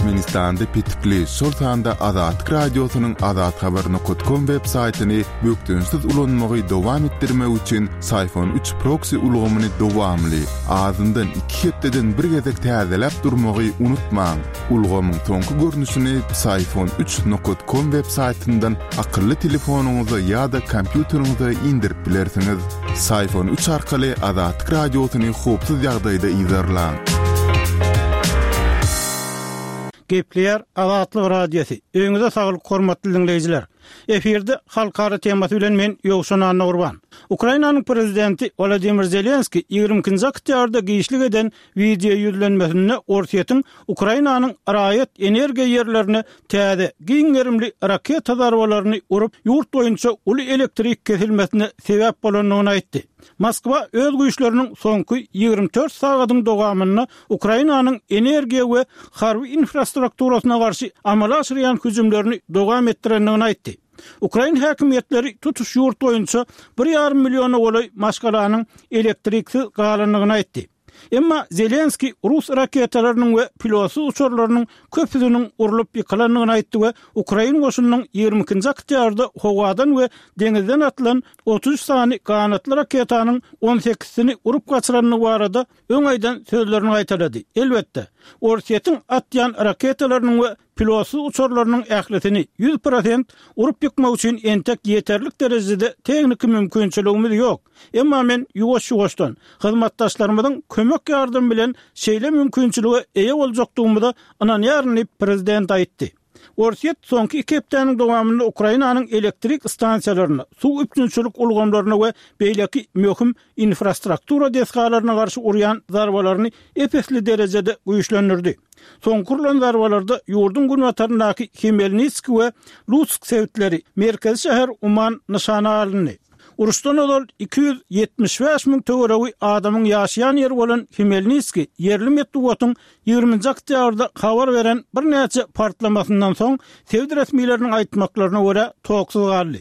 Türkmenistanda petikli, şol sanda Azatlyk Radiosynyň azathabar nokat kom web saýtyny bökdençsiz ulanmagy dowam etdirmek üçin Syfon üç proksi ulgamyny dowamly, azyndan iki hepdeden bir gezek täzeläp durmagy unutmaň. Ulgamyň soňky görnüşini Psiphon üç nokat kom web saýtyndan akylly telefonyňyza ýa-da kompýuteriňize indirip bilersiňiz. Psiphon üç arkaly Azatlyk Radiosyny howpsuz ýagdaýda yzarlaň. Gepleýär Azatlyk Radiosy. Öýüňize saglyk hormatly diňleýjiler. Efirde halkara temasy bilen men Ýowşan Annagurban. Ukrainanyň prezidenti Wolodymyr Zelenskiý 22-nji oktýabrda giçlik eden wideo ýüzlenmesinde Orsýetiň Ukrainanyň raýat energiýa ýerlerine täze, giň gerimli raketa zarbalaryny urup, ýurt boýunça uly elektrik kesilmesine sebäp bolandygyny aýtdy. Moskwa öz güýçleriniň soňky 24 sagadyň dowamynda Ukrainanyň energiýa we harby infrastrukturasyna garşy amala aşyrýan hüjümlerini dowam etdirendigini aýtdy. Ukrain häkimiýetleri tutuş ýurt boýunça bir ýarym milliona golaý maşgalanyň elektriksiz galandygyny aýtdy. Emma Zelenskiý rus raketalarynyň we pilotsyz uçarlarynyň köpüsiniň urlup ýykylandygyny aýtdy we ukrain goşunynyň 22-nji oktýabrda howadan we deňizden atylan 33 sany ganatly raketanyň on sekizisini urup gaçyrandygy barada öň aýdan sözlerini gaýtalady. Elbetde, Orsýetiň atýan raketalarynyň we Pilotsyz uçarlarynyň ählisini 100% urup ýykmak üçin entek ýeterlik derejede tehniki mümkinçiligimiz ýok. Emma men ýuwaş-ýuwaşdan, hyzmatdaşlarymyzyň kömek-ýardamy bilen şeýle mümkinçilige eýe boljakdygymyza ynanýaryn diýip, prezident aýtdy. Orsýet soňky iki hepdäniň dowamynda Ukrainanyň elektrik stansiýalaryna, suw üpjünçilik ulgamlaryna we beýleki möhüm infrastruktura desgalaryna garşy urýan zarbalaryny ep-esli derejede güýçlendirdi. Soňky urlan zarbalarda ýurduň günbataryndaky Hmelnitskiý we Lutsk sebitleri, merkezi şäher Uman nyşana alyndy. Uruşdan ozal 275 müň töweregi adamyň ýaşaýan ýeri bolan Hmelnitskiý ýerli metbugatyň ýigriminji oktýabrda habar beren birnäçe partlamasyndan soň, sebit resmileriniň aýtmaklaryna görä, toksuz galdy.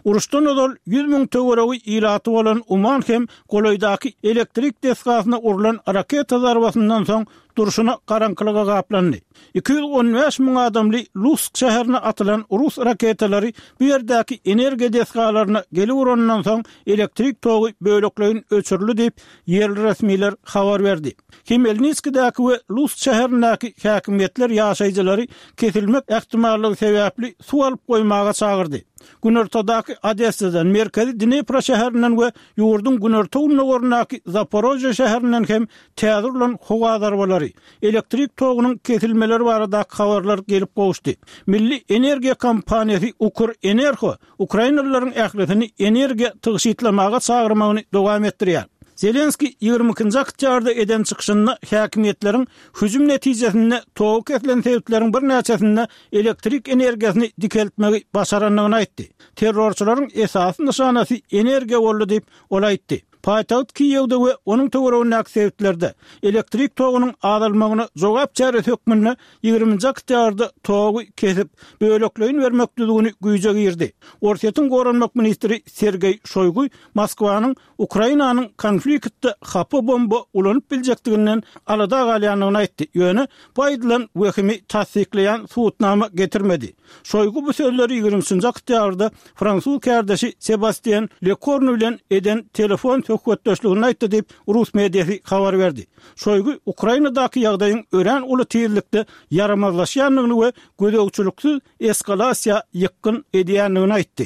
Uruşdan ozal 100 müň töweregi ilaty bolan Uman hem golaýdaky elektrik desgasyna urlan raketa zarbasyndan soň durşuna garaňkylyga gaplandy. 215 müň adamly Lutsk şäherine atylan rus raketalary bu ýerdäki energiýa desgalaryna gelip uranyndan soň elektrik togy bölekleýin öçürildi diýip, ýerli resmiler habar berdi. Hmelnitskidäki we Lutsk şäherindäki häkimiýetler ýaşaýjylary kesilmek ähtimallygy sebäpli suw alyp goýmaga çagyrdy. Günortadaky Odessadan, merkezi Dnepro şäherinden we ýurduň günorta-gündogaryndaky Zaporožýe şäherinden hem täze urlan howa zarbalary, elektrik togunyň kesilmeleri baradaky habarlar gelip gowuşdy. Milli energiýa kompaniýasy Ukrenergo ukrainalylaryň ählisini energiýa tygşytlamaga çagyrmagyny dowam etdirýär. Zelenskiý 22-nji oktýabrda eden çykyşynda häkimiýetleriň hüjüm netijesinde togy kesilen sebitleriň birnäçesinde elektrik energiýasyny dikeltmegi başarandygyny aýtdy. Terrorçylaryň esasy nyşanasy energiýa boldy diýip, ol aýtdy. Paýtagt Kiýewde we onuň töweregindäki sebitlerde elektrik togunyň azalmagyna jogap çäresi hökmünde ýigriminji oktýabrda togy kesip, bölekleýin bermek düzgüni güýje girdi. Orsýetiň goranmak ministri Sergeý Şoýgu Moskwanyň Ukrainanyň konfliktde hapa bomba ulanyp biljekdiginden alada galýandygyny aýtdy, ýöne bu aýdylan wehimi tassyklaýan subutnama getirmedi. Şoýgu bu sözleri ýigrimi üçünji oktýabrda fransuz kärdeşi Sebastien Lekornu bilen eden telefon söhbetdeşliginde aýtdy diýip, rus mediasy habar berdi. Şoýgu Ukrainadaky ýagdaýyň örän uly tizlikde ýaramazlaşýandygyny we gözegçiliksiz eskalasiýa ýykgyn edýändigini aýtdy.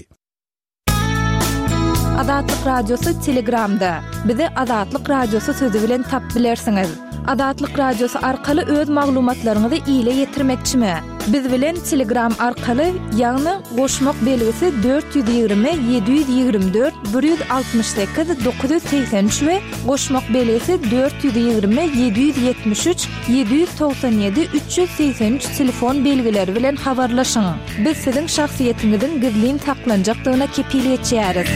Azatlyk Radiosy Telegramda. Bizi Azatlyk Radiosy sözi bilen tap bilersiňiz. Azatlyk Radiosy arkaly öz maglumatlaryňyzy ile ýetirmekçimi? Biz bilen Telegram arkaly, ýagny goşmak belgisi 420 724 168 983 we goşmak belgisi 420 773 797 383 telefon belgileri bilen habarlaşyň. Biz siziň şahsyýetiňiziň gizlin saklanjakdygyna kepil geçýäris.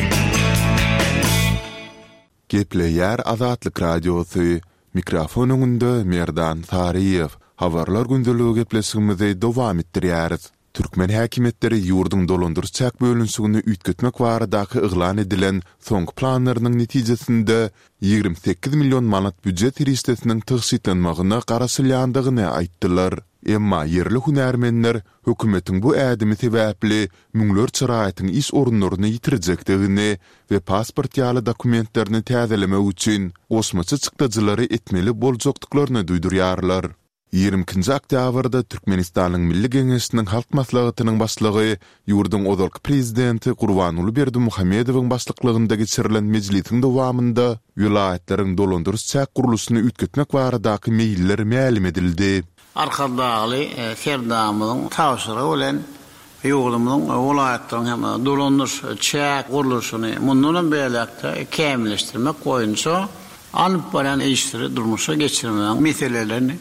Gepleýär Azatlyk Radiosy, Mikrofon öňünde Merdan Saryýew. Habarlar gündeligi gepleşigimizi dowam etdirýäris. Türkmen häkimiýetleri ýurduň dolandyryş-çäk bölünişigini üýtgetmek baradaky yglan edilen soňky planlarynyň netijesinde 28 million manat býujet serişdesiniň tygşytlanmagyna garaşylýandygyny aýtdylar. Emma ýerli hünärmenler hökümetiň bu ädimi sebäpli müňlerçe raýatyň iş orunlaryny ýitirjekdigini we pasport ýaly dokumentlerini täzelemek üçin goşmaça çykdajylary etmeli boljakdyklaryny duýdurýarlar. 22-nji oktýabrda Türkmenistanyň Milli Geňeşiniň Halk Maslahatynyň Başlygy, ýurduň ozalky Prezidenti Gurbanguly Berdimuhamedowyň başlyklygynda geçirilen mejlisiň dowamynda welaýatlaryň dolandyryş-çäk gurluşyny üýtgetmek baradaky meýiller mälim edildi. Arkadagly Serdarymyzyň tabşyrygy bilen ýurdumyzyň welaýatlaryň hem dolandyryş çäk gurluşyny mundan hem beýläk-de kämilleşdirmek boýunça alnyp barýan işleri durmuşa geçirmegiň meselelerini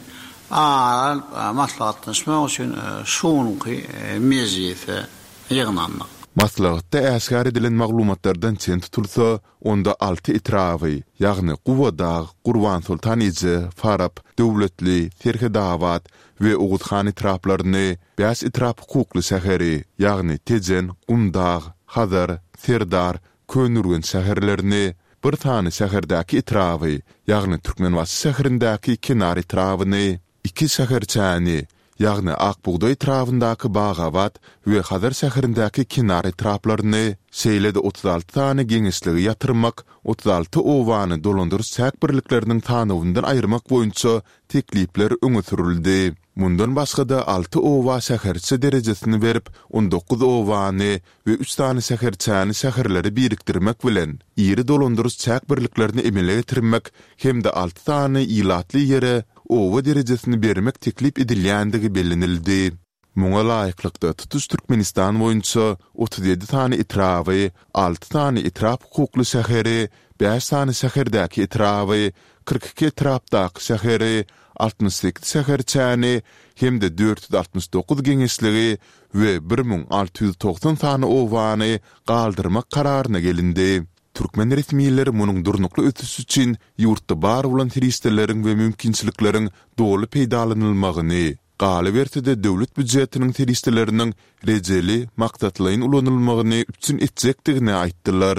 ara alyp maslahatlaşmak üçin şu günki mejlise ýygnandyk. Maslahatda äşgär edilen maglumatlardan çen tutulsa, onda alty etraby, ýagny Gubadag, Gurbansoltan eje, Farap, Döwletli, Serhedabat we Oguzhan etraplaryny, bäş etrap hukukly şäheri, ýagny Tejen, Gumdag, Hazar, Serdar, Köneürgenç şäherlerini, bir sany şäherdäki etraby, ýagny Türkmenbaşy şäherindäki Kenar etrabyny, iki şäherçäni, ýagny Ak bugdaý etrabyndaky Bagabat we Hazar şäherindäki Kenar etraplaryny, şeýle-de 36 sany geňeşligi ýatyrmak, 36 obany dolandyryş-çäk birlikleriniň sanawyndan aýyrmak boýunça teklipler öňe sürüldi. Mundan başga-da alty oba şäherçe derejesini berip, on dokuz obany we üç sany şäherçäni şäherlere birikdirmek bilen, iri dolandyryş-çäk birliklerini emele getirmek hem-de alty sany ilatly ýere oba derejesini bermek teklip edilýändigi bellenildi. Muňa laýyklykda, tutuş Türkmenistan boýunça 37 sany etraby, alty sany etrap hukukly şäheri, bäş sany şäherdäki etraby, 42 etrapdaky şäheri, 68 şäherçäni hem-de 469 geňeşligi we 1690 sany obany galdyrmak kararyna gelindi. Türkmen resmileri munuň durnukly ösüş üçin ýurtda bar bolan serişdeleriň we mümkinçilikleriň doly peýdalanylmagyny, galyberse-de döwlet býujetiniň serişdeleriniň rejeli, maksatlaýyn ulanylmagyny üpjün etjekdigini aýtdylar.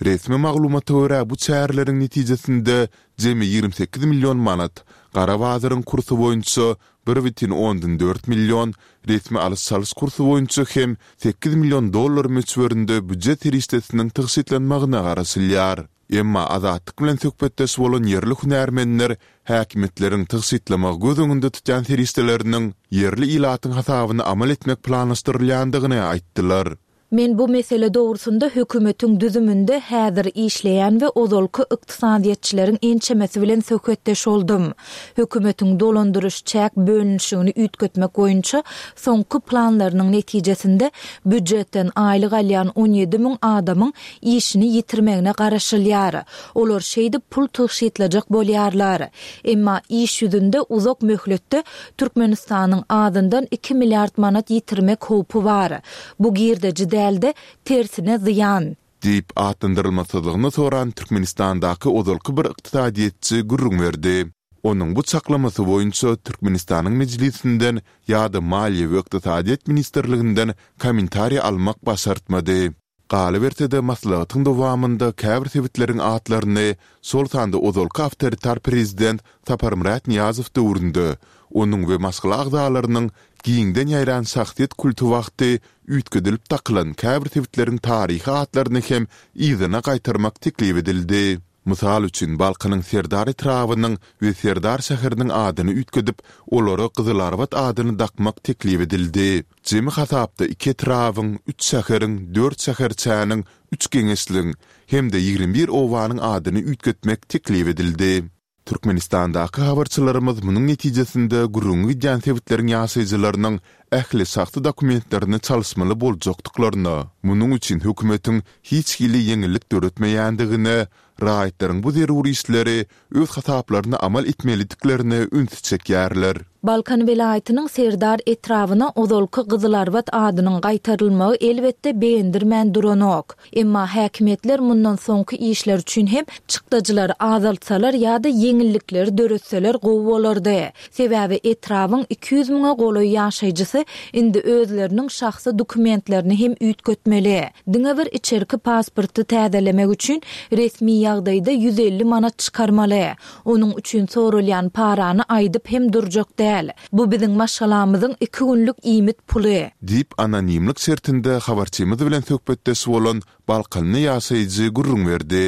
Resmi maglumata görä, bu çäreleriň netijesinde jemi 28 million manat, gara bazaryň kursy boýunça 1,4 million, resmi alyş-çalyş kursy boýunça hem 8 million dollar möçberinde býujet serişdesiniň tygşytlanmagyna garaşylýar. Emma Azatlyk bilen söhbetdeş bolan ýerli hünärmenler häkimiýetleriň tygşytlamagy göz öňünde tutýan serişdeleriniň ýerli ilatyň hasabyna amal etmek planlaşdyrylýandygyny aýtdylar. Men bu mesele dogrusynda hökümetiň düzüminde häzir işleýän we ozalky ykdysadyýetçileriň ençemesi bilen söhbetdeş boldum. Hökümetiň dolandyryş-çäk bölünişigini üýtgetmek boýunça soňky planlarynyň netijesinde býujetden aýlyk alýan 17 müň adamyň işini ýitirmegine garaşylýar. Olar şeýdip pul tygşytlajak bolýarlar. Emma iş ýüzünde uzak möhletde Türkmenistanyň azyndan iki milliard manat ýitirmek howpy bar. Bu girdeji däl-de, tersine zyýan. Diýip, atlandyrylmasyzlygyny soran Türkmenistandaky ozalky bir ykdysadyýetçi gürrüň berdi. Onuň bu çaklamasy boýunça Türkmenistanyň Mejlisinden ýa-da Maliýe we ykdysadyýet ministrliginden kommentariý almak başartmady. Galyberse-de, maslahatyň dowamynda käbir sebitleriň atlaryny, şol sanda ozalky awtoritar prezident Saparmyrat Nyýazow döwründe onuň we maşgala agzalarynyň giňden ýaýran şahsyýet kulty wagty üýtgedilip dakylan käbir sebitleriň taryhy atlaryny hem yzyna gaýtarmak teklip edildi. Mysal üçin, Balkanyň Serdar etrabynyň we Serdar şäheriniň adyny üýtgedip, olara Gyzylarbat adyny dakmak teklip edildi. Jemi hasapda iki etrabyň, üç şäheriň, dört şäherçäniň, üç geňeşligiň hem-de 21 obanyň adyny üýtgetmek teklip edildi. Türkmenistandaky habarçylarymyz munuň netijesinde gürrüňi gidýän sebitleriň ýaşaýjylarynyň ähli şahsy dokumentlerini çalyşmaly boljakdyklaryna, munuň üçin hökümetiň hiç hili ýeňillik döretmeýändigine, raýatlaryň bu zerur işleri öz hasaplaryna amal etmelidiklerine ünsi çekýärler. Balkan welaýatynyň Serdar etrabyna ozalky Gyzylarbat adynyň gaýtarylmagy elbetde begendirmän duranok. Emma häkimiýetler mundan soňky işler üçin hem çykdajylary azaltsalar ýa-da ýeňillikleri döretseler gowy bolardy. Sebäbi etrabyň 200 müňe golaý ýaşaýjysy indi özleriniň şahsy dokumentlerini hem üýtgetmeli. Diňe bir içerki pasporty täzelemek üçin resmi ýagdaýda 150 manat çykarmaly. Onuň üçin soralýan parany aýdyp hem durjak däl. däl. Bu biziň maşgalamyzyň iki günlük iýmit puly. Diýip, anonimlik şertinde habarçymyz bilen söhbetdeş bolan balkanly ýaşaýjy gürrüň berdi.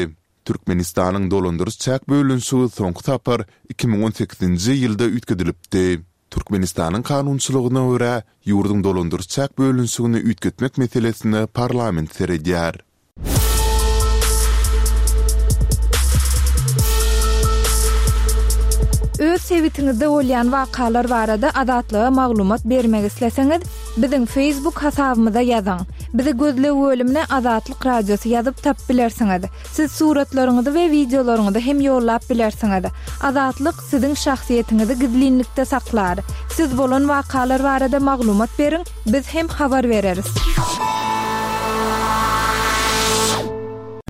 Türkmenistanyň dolandyryş-çäk bölünişigi soňky sapar 2018-nji ýylda üýtgedilipdi. Türkmenistanyň kanunçylygyna görä, ýurduň dolandyryş-çäk bölünişigini üýtgetmek meselesine parlament seredýär. Öz sebitiňizde bolýan wakalar barada Azatlyga maglumat bermek isleseňiz, biziň Facebook hasabymyza ýazyň. Bizi gözleg bölümine Azatlyk Radiosy ýazyp tapyp bilersiňiz. Siz suratlaryňyzy we wideolaryňyzy hem ýollap bilersiňiz. Azatlyk siziň şahsyýetiňizi gizlinlikde saklar. Siz bolan wakalar barada maglumat beriň, biz hem habar bereris.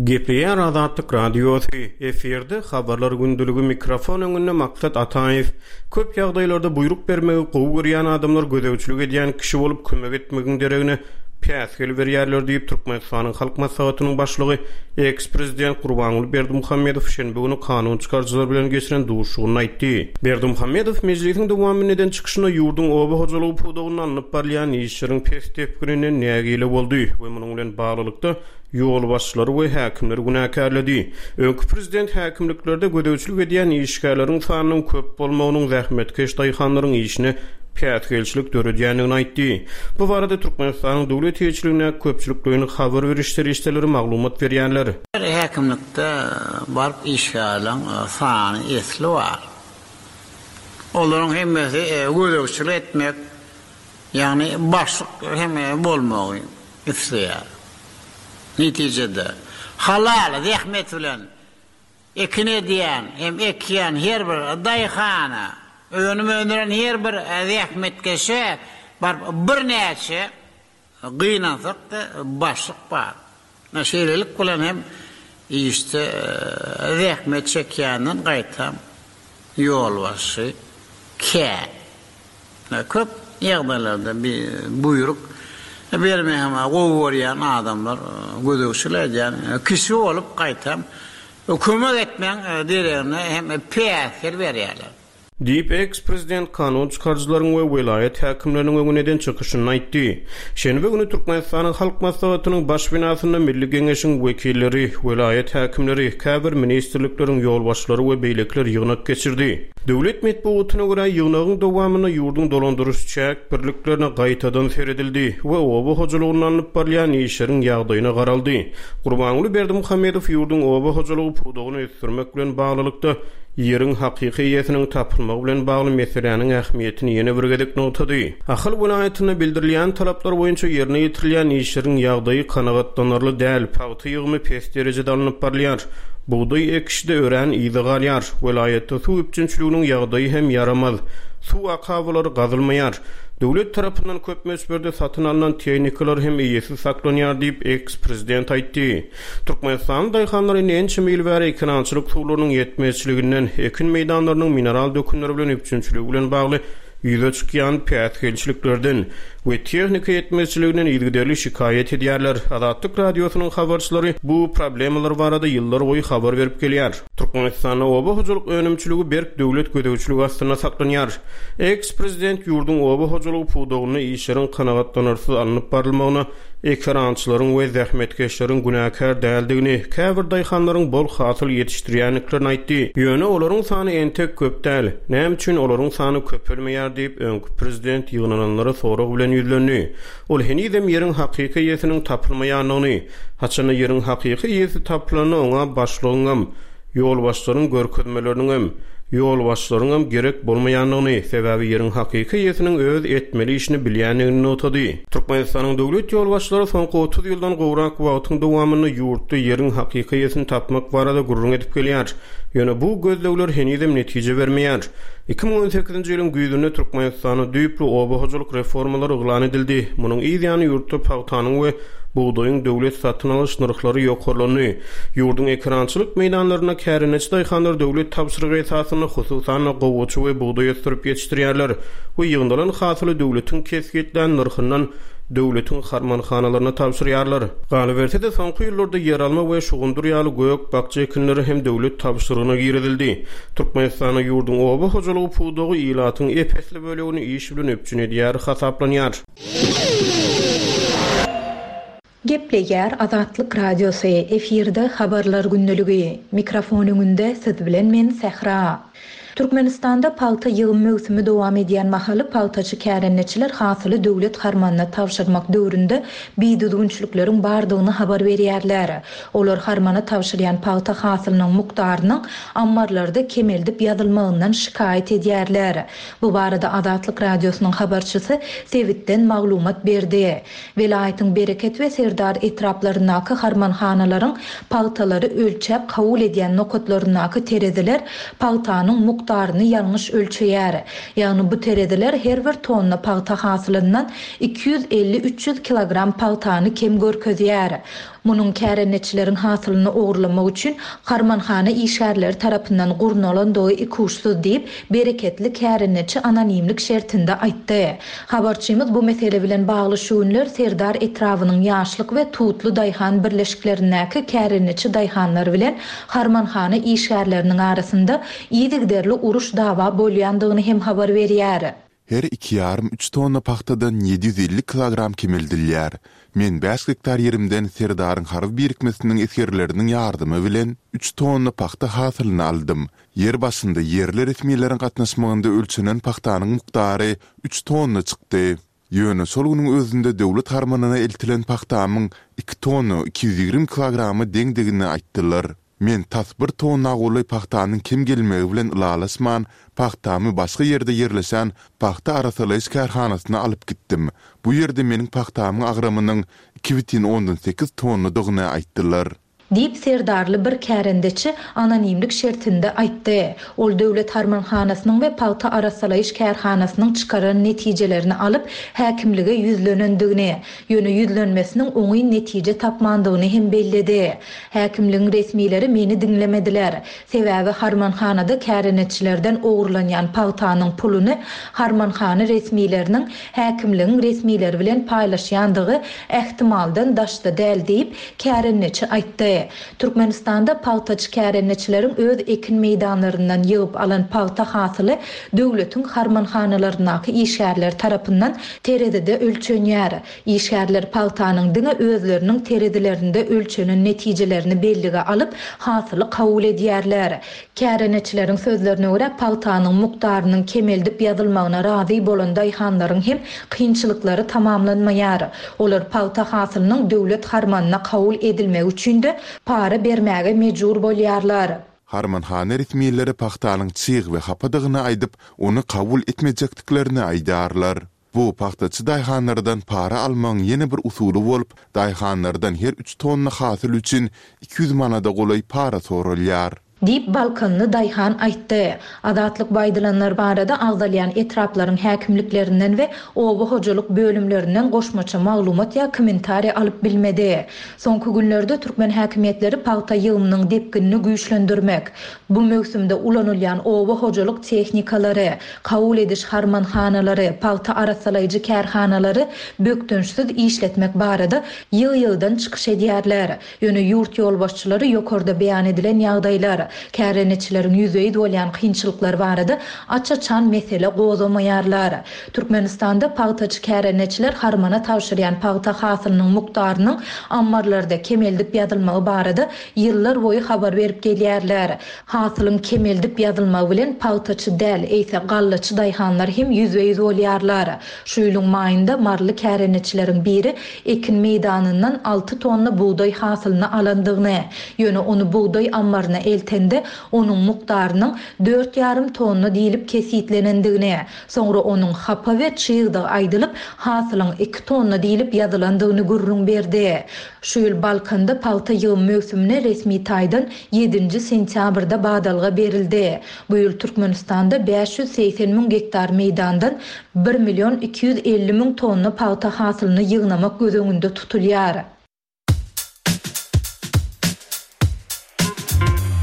Gepleýär Azatlyk Radiosy, efirde Habarlar gündeligi mikrofon öňünde Maksat Ataýew. Köp ýagdaýlarda buýruk bermegi gowy görýän adamlar gözegçilik edýän kişi bolup kömek etmegiň deregine päsgel berýärler diýip, Türkmenistanyň Halk Maslahatynyň Başlygy, eks-prezident Gurbanguly Berdimuhamedow şenbe güni kanun çykaryjylar bilen geçiren duşuşygynda aýtdy. Berdimuhamedow mejlisiň dowamynda eden çykyşynda ýurduň oba hojalygy pudagynda alnyp barylýan işleriň pes depgininden nägile boldy we munuň bilen baglylykda, ýolbaşçylary we häkimleri günäkärledi. Öňki prezident häkimliklerde gözegçilik edýän işgärleriň sanynyň köp bolmagynyň zähmetkeş daýhanlaryň işine päsgelçilik döredýändigini aýtdy. Bu barada Türkmenistanyň döwlet eýeçiligindäki köpçülikleýin habar beriş serişdeleri maglumat berýärler. Her häkimlikde baryp işgärleň sany esli bar. Olaryň hemmesi gözegçilik etmek, ýagny başlyk hem bolmagy isleýär. Netijede, halal zähmet bilen ekin edýän hem ekýän her bir daýhana, önüm öndüren her bir zähmetkeşe baryp birnäçe, gynansak-da, başlyk bar. Şeýlelik bilen hem işde zähmet çekýänden gaýtam ýolbaşçy kän. Köp ýagdaýlarda buýruk bermegi hem gowy görýän adamlar gözegçilik edýän kişi bolup gaýtam kömek etmegiň deregine hem päsgel berýärler. Diýip, eks-prezident kanun çykaryjylaryň we welaýat häkimleriniň öňünde eden çykyşynda aýtdy. Şenbe güni Türkmenistanyň Halk Maslahatynyň baş binasynda Milli Geňeşiň wekilleri, welaýat häkimleri, käbir ministrlikleriň ýolbaşçylary we beýlekiler ýygnak geçirdi. Döwlet metbugatyna görä, ýygnagyň dowamynda ýurduň dolandyryş-çäk birliklerine gaýtadan seredildi we oba hojalygynda alnyp barylýan işleriň ýagdaýyna garaldy. Gurbanguly Berdimuhamedow ýurduň oba hojalygy pudagyny ösdürmek bilen baglylykda, ýeriň hakyky eýesiniň tapylmagy bilen bagly meseläniň ähmiýetini ýene bir gezek nygtady. Ahal welaýatynda bildirilýän talaplar boýunça ýerine ýetirilýän işleriň ýagdaýy kanagatlanarly däl, pagta ýygymy pes derejede alnyp barylýar. Bugdaý ekişi-de örän yza galýar. Welaýatda suw üpjünçiliginiň ýagdaýy hem ýaramaz. Suw akabalary gazylmaýar. Döwlet tarapyndan köp möçberde satyn alnan tehnikalar hem eýesiz saklanýar diýip, eks-prezident aýtdy. Türkmenistanly daýhanlar indi ençeme ýyl bäri ekerançylyk suwlarynyň ýetmezçiliginden, ekin meýdanlarynyň mineral dökünler bilen üpjünçiligi bilen bagly ýüze çykýan päsgelçiliklerden we tehnika ýetmezçiliginden yzygiderli şikaýat edýärler. Azatlyk Radiosynyň habarçylary bu problemalar barada ýyllarboýy habar berip gelýär. Türkmenistanda oba hojalyk önümçiligi berk döwlet gözegçiligi astynda saklanýar. Eks-prezident ýurduň oba hojalygy pudagynda işleriň kanagatlanarsyz alnyp barylmagyna Ekerançylaryň we zähmetkeşleriň günäkär däldigini, käbir daýhanlaryň bol hasyl ýetişdirýändiklerini aýtdy. Ýöne olaryň sany entek köp däl. Näme üçin olaryň sany köpelmeýär diýip, öňki prezident ýygnananlara sorag bilen ýüzlendi. Ol henizem ýeriň hakyky eýesiniň tapylmaýandygyny, haçanda ýeriň hakyky eýesi tapylanda oňa başlygyňam, ýolbaşçylaryň görkezmeleriniňem, ýolbaşçylaryňam gerek bolmaýandygyny, sebäbi ýeriň hakyky eýesiniň öz etmeli işini bilýändigini nygtady. Türkmenistanyň döwlet ýolbaşçylary soňky 30 ýyldan gowrak wagtyň dowamynda ýurtda ýeriň hakyky eýesini tapmak barada gürrüň edip gelýär. Ýöne bu gözlegler henizem netije bermeýär. 2018-nji ýylyň güýzünde Türkmenistanda düýpli oba hojalyk reformalary yglan edildi. Munuň yz ýany ýurtda pagtanyň we Bugdaýyň döwlet satyn alyş nyrhlary ýokarlandy. Ýurduň ekerançylyk meýdanlarynda kärendeçi daýhanlar döwlet tabşyrygy esasynda, hususan-da, gowaça we bugdaý ösdürip ýetişdirýärler we ýygnalan hasyly döwletiň kesgitlän nyrhyndan. döwletiň harmanhanalaryna tabşyrýarlar. Galyberse-de, soňky ýyllarda ýeralma we şugundyr ýaly gök-bakja ekinleri hem döwlet tabşyrygyna girizildi. Türkmenistanda ýurduň oba hojalygy pudagy ilatyň ep-esli bölegini iş bilen üpjün edýär hasaplanýar. Gepleýär Azatlyk Radiosy, efirde Habarlar gündeligi. Mikrofon öňünde siz bilen men Sähra. Türkmenistanda pagta ýygym möwsümi dowam edýän mahaly pagtaçy kärendeçiler hasyly döwlet harmanyna tabşyrmak döwründe bidüzgünçilikleriň bardygyny habar berýärler. Olar harmana tabşyrýan pagta hasylynyň mukdarynyň ammarlarda kemeldip ýazylmagyndan şikaýat edýärler. Bu barada Azatlyk Radiosynyň habarçysy sebitden maglumat berdi. Welaýatyň Bereket we Serdar etraplaryndaky harmanhanalaryň pagtalary ölçäp kabul edýän nokatlaryndaky tereziler pagtanyň mukdaryny ýalňyş ölçeýär. Ýagny bu tereziler her bir tonna pagta hasylyndan 250-300 kilogram pagtany kem görkezýär. Munuň kärendeçileriň hasylyny ogurlamak üçin harmanhana işgärleri tarapyndan gurnalandygy ikuçsuz diýip, bereketli kärendeçi anonimlik şertinde aýtdy. Habarçymyz bu mesele bilen bagly şu günler Serdar etrabynyň Ýaşlyk we Tutly daýhan birleşiklerindäki kärendeçi daýhanlar bilen harmanhana işgärleriniň arasynda yzygiderli uruş-dawa bolýandygyny hem habar berýär. Her iki ýarym-üç tonna pagtadan 750 kilogram kemeldilýär. Men bäş gektar ýerimden Serdaryň harby birikmesiniň esgerleriniň ýardamy bilen üç tonna pagta hasylyny aldym. Ýer başynda ýerli resmileriň gatnaşmagynda ölçenen pagtanyň mukdary üç tonna çykdy. Ýöne şol günüň özünde döwlet harmanyna eltilen pagtamyň iki tonna 220 kilograma deňdigini aýtdylar. Men tas bir tonna golaý pagtanyň kem gelmegi bilen ylalaşman, pagtamy başga ýerde ýerleşen pagta arassalaýyş kärhanasyna alyp gitdim. Bu ýerde meniň pagtamyň agramynyň 2,8 tonnadygyny aýtdylar. Diýip, serdarly bir kärendeçi anonimlik şertinde aýtdy. Ol döwlet harmanhanasynyň we pagta arassalaýyş kärhanasynyň çykaran netijelerini alyp, häkimlige ýüzlenendigini, Ýöne ýüzlenmesiniň oňyn netije tapmandygyny hem belledi. Häkimligiň resmileri meni diňlemediler. Sebäbi harmanhanada kärendeçilerden ogurlanýan pagtanyň puluny harmanhana resmileriniň häkimligiň resmileri bilen paýlaşýandygy ähtimaldan daşda däl diýip, kärendeçi aýtdy. Türkmenistanda pagtaçy kärendeçileriň öz ekin meýdanlaryndan ýygyp alan pagta hasyly döwletiň harmanhanalaryndaky işgärler tarapyndan terezide ölçenýär. Işgärler pagtanyň diňe özleriniň terezilerinde ölçenen netijelerini bellige alyp, hasyly kabul edýärler. Kärendeçileriň sözlerine görä, pagtanyň mukdarynyň kemeldip ýazylmagyna razy bolan daýhanlaryň hem kynçylyklary tamamlanmaýar. Olar pagta hasylynyň döwlet harmanyna kabul edilmegi üçin-de para bermäge mejbur bolýarlar. Harmanhana resmileri pagtanyň çyg we hapadygyny aýdyp, ony kabul etmejekdiklerini aýdýarlar. Bu pagtaçy daýhanlardan para almagyň ýene bir usuly bolup, daýhanlardan her üç tonna hasyl üçin 200 manada golaý para soralýar. Diýip, balkanly daýhan aýtdy. Azatlyk bu aýdylanlar barada agzalýan etraplaryň häkimliklerinden we oba hojalyk bölümlerinden goşmaça maglumat ýa kommentariý alyp bilmedi. Soňky günlerde türkmen häkimiýetleri pagta ýygymynyň depginini güýçlendirmek, bu möwsümde ulanylýan oba hojalyk tehnikalary, kabul ediş harmanhanalary, pagta arassalaýjy kärhanalary bökdençsiz işletmek barada ýygy-ýygydan çykyş edýärler. Ýöne ýurt ýolbaşçylary ýokarda beýan edilen ýagdaýlar, kärendeçileriň ýüzbe-ýüz bolýan kynçylyklary barada aç-açan mesele gozgamaýarlar. Türkmenistanda pagtaçy kärendeçiler harmana tabşyrýan pagta hasylynyň mukdarynyň ammarlarda kemeldip ýazylmagy barada ýyllar boýy habar berip gelýärler. Hasylyň kemeldip ýazylmagy bilen pagtaçy däl, eýse gallaçy daýhanlar hem ýüzbe-ýüz bolýarlar. Şu ýylyň maýynda maryly kärendeçileriň biri ekin meýdanyndan alty tonna bugdaý hasylyny alandygyny, ýöne ony bugdaý ammaryna eltende, onuň mukdarynyň dört ýarym tonna diýlip kesgitlenendigini, soňra onuň hapa we çygdygy aýdylyp, hasylyň iki tonna diýlip ýazylandygyny gürrüň berdi. Şu ýyl Balkanda pagta ýygym möwsümine resmi taýdan ýedinji sentýabrda badalga berildi. Bu ýyl Türkmenistanda 580 müň gektar meýdandan bir million 250 müň tonna pagta hasylyny ýygnamak göz öňünde tutulýar.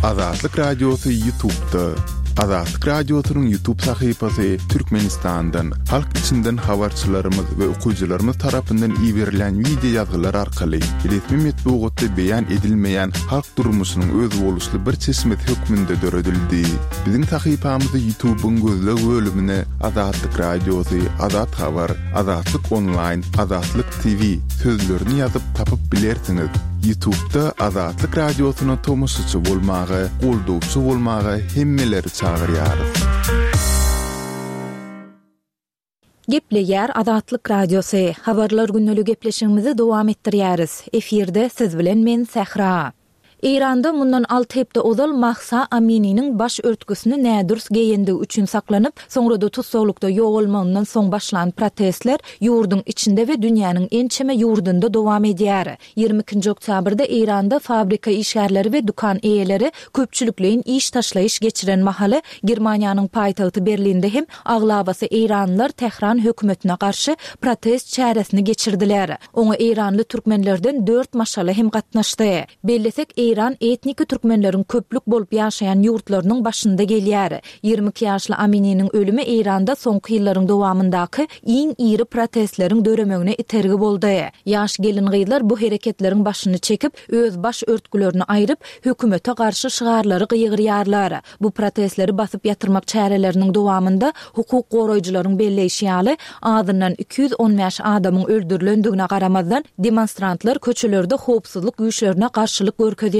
Azatlyk Radiosy YouTube'da. Azatlyk Radiosynyň YouTube sahypasy Türkmenistandan, halk içinden habarçylarymyz we okyjylarymyz tarapyndan iberilýän wideo ýazgylar arkaly resmi metbugatda beýan edilmeýän halk durmuşynyň özboluşly bir çeşmesi hökmünde döredildi. Biziň sahypamyzy YouTube-yň gözleg bölümine Azatlyk Radiosy, Azat Habar, Azatlyk Onlaýn, Azatlyk TV sözlerini ýazyp tapyp bilersiňiz. Ýutubda Azatlyk Radiosyna tomaşaçy bolmaga, goldawçy bolmaga hemmeleri çagyrýarys. Gepleýär Azatlyk Radiosy, Habarlar gündeli gepleşigimizi dowam etdirýäris. Efirde siz bilen men Sähra. Eýranda mundan alty hepde ozal Mahsa Amininiň baş örtgüsini nädürs geýendigi üçin saklanyp, soňra-da tussaglykda ýogalmagyndan soň başlan protestler ýurduň içinde we dünýäniň ençeme ýurdunda dowam edýär. 22-nji oktýabrda Eýranda fabrika işgärleri we dükan eýeleri köpçülikleýin iş taşlaýyş geçiren mahaly, Germaniýanyň paýtagty Berlinde hem aglabasy eýranlylar Tähran hökümetine garşy protest çäresini geçirdiler. Oňa eýranly türkmenlerden dört maşgala hem gatnaşdy. Bellesek, Eýran etniki türkmenleriň köplük bolup ýaşaýan ýurtlarynyň başynda gelýär. 22 ýaşly Amininiň ölümi Eýranda soňky ýyllaryň dowamyndaky iň iri protestleriň döremegine itergi boldy. Ýaş gelin-gyzlar bu hereketleriň başyny çekip, öz baş örtgülerini aýryp, hökümete garşy şygarlary gygyrýarlar. Bu protestleri basyp ýatyrmak çäreleriniň dowamynda, hukuk goraýjylaryň belleýşi ýaly, azyndan 215 adamyň öldürilendigine garamazdan, demonstrantlar köçelerde howpsuzlyk güýçlerine garşylyk görkezýärler.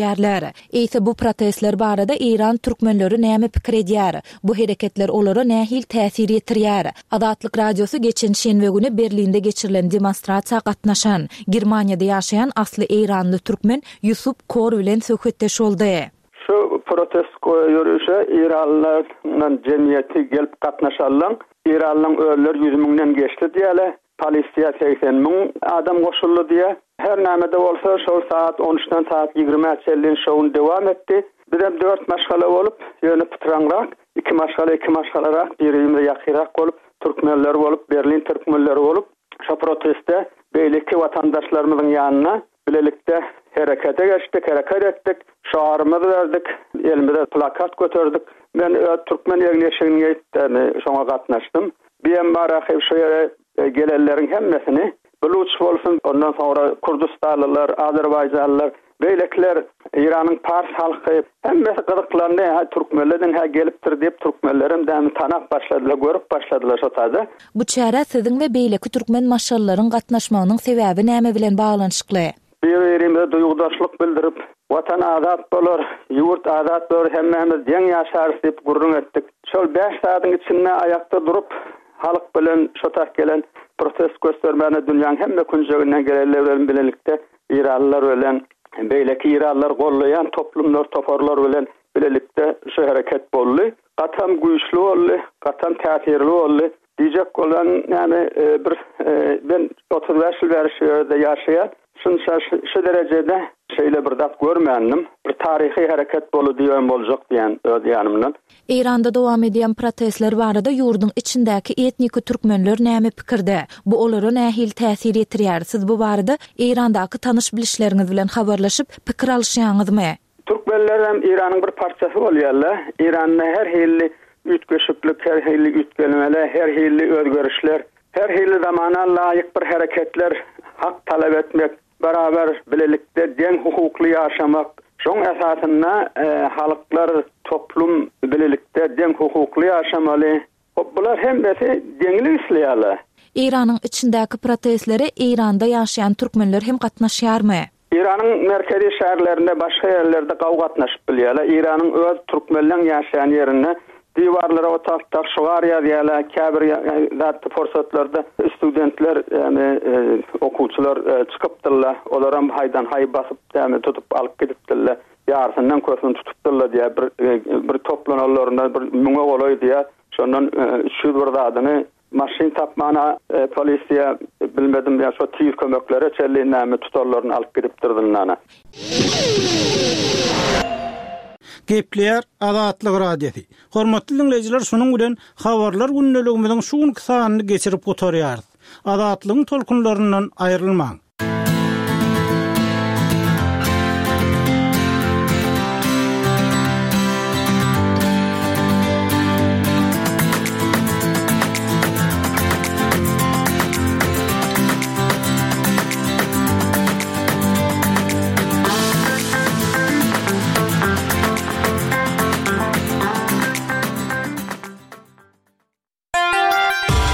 Eýse bu protestler barada eýran türkmenleri näme pikir edýär? Bu hereketler olara nähili täsir ýetirýär? Azatlyk Radiosy geçen şenbe güni Berlinde geçirilen demonstrasiýa gatnaşan, Germaniýada ýaşaýan asly eýranly türkmen Ýusup Kor bilen söhbetdeş boldy. Şu protest ýörişe eýranlylaryň jemgyýeti gelip gatnaşanlaň, eýranlylaryň özleri ýüz müňden geçdi diýýärler, polisiýa 80 müň adam goşuldy diýýär. Her näme-de bolsa, şol sagat on üçden sagat ýigrimä çenli şo gün dowam etdi. Bizem dört maşgala bolup, ýöne pytraňrak, iki maşgala iki maşgalarak, bir-birimize ýakyrak bolup, türkmenler bolup, Berlin türkmenleri bolup, şo proteste beýleki watandaşlarymyzyň ýanyna Bilelikde herekete geçdik, hereket etdik, şygarymyzy berdik, elimize plakat göterdik. Men öz türkmen egin-eşigini geýip, şoňa gatnaşdym. BMR-a şu ýere gelenleriň hemmesini, buluç bolsun, ondan soňra kürdistanlylar, azerbaýjanlylar, beýlekiler, Eýranyň pars halky, hemmesi gyzyklandy, hä, türkmenlerden hä gelipdir diýip, türkmenlerem dämi tanap başladylar, görüp başladylar şo taýda. Bu çärä siziň we beýleki türkmen maşgalalaryň gatnaşmagynyň sebäbi näme bilen baglanyşykly? Bir-birimize duýgudaşlyk bildirip, Watan azat bolar, ýurt azat bolar, hemmämiz deň ýaşarys diýip gürrüň etdik. Şol bäş zadyň içinde aýakda durup, halk bilen şo tak gelen protest göstermäne dünýäň hemme künjeginden gelenler bilen bilelikde eýranlylar bilen, beýleki eýranlylary gollaýan toplumlar, toparlar bilen bilelikde şu hereket boldy. Gatam güýçli boldy, gatam täsirli boldy. Diýjek bolan näme bir men 35 ýyl bäri şu ýerde ýaşaýan. Şunça şu derejede şeýle bir zat görmändim. Bir taryhy hereket boldy diýen boljak diýen öz ýanymdan. Eýranda dowam edýän protestler barada ýurduň içindäki etniki türkmenler näme pikirde? Bu olara nähili täsir ýetirýär? Siz bu barada Eýrandaky tanyş-bilişleriňiz bilen habarlaşyp, pikir alyşýaňyzmy? Türkmenler hem Eýranyň bir parçasy bolýarlar. Eýranda her hilli üýtgeşiklik, her hilli üýtgelmeler, her hilli özgerişler, her hilli zamana laýyk bir hereketler, hak talap etmek, beraber bilelikde deň hukukly ýaşamak, şoň esasynda halklar toplum bilelikde deň hukukly ýaşamaly. Hop bular hemmesi deňlik isleýärler. Eýranyň içindäki protestlere Eýranda ýaşaýan türkmenler hem gatnaşýarmy? Eýranyň merkezi şäherlerinde başga ýerlerde gawy gatnaşyp bilýärler. Eýranyň öz türkmenleň ýaşaýan ýerinde diwarlara otagtda şygar ýazýarlar. Käbir zatda pursatlarda studentler ýagny okuwçylar çykypdyrlar. Olaram haýdan haý basyp ýagny tutup alyp gidipdirler. Ýarysyndan köpüni tutupdyrlar diýýär. Bir bir toplananlarynda bir müňe golaý diýýär. Şondan 300 bir zadyny maşyn tapmana polisiýa bilmedim ýa şo tiz kömeklere çenli näme tutanlaryny alyp gidipdir zyndana. Gepleýär Azatlyk Radiosy. Hormatly diňleýjiler şunuň bilen Habarlar gündeligimiziň şu günki sanyny geçirip gutarýarys. Azatlygyň tolkunlaryndan aýrylmaň.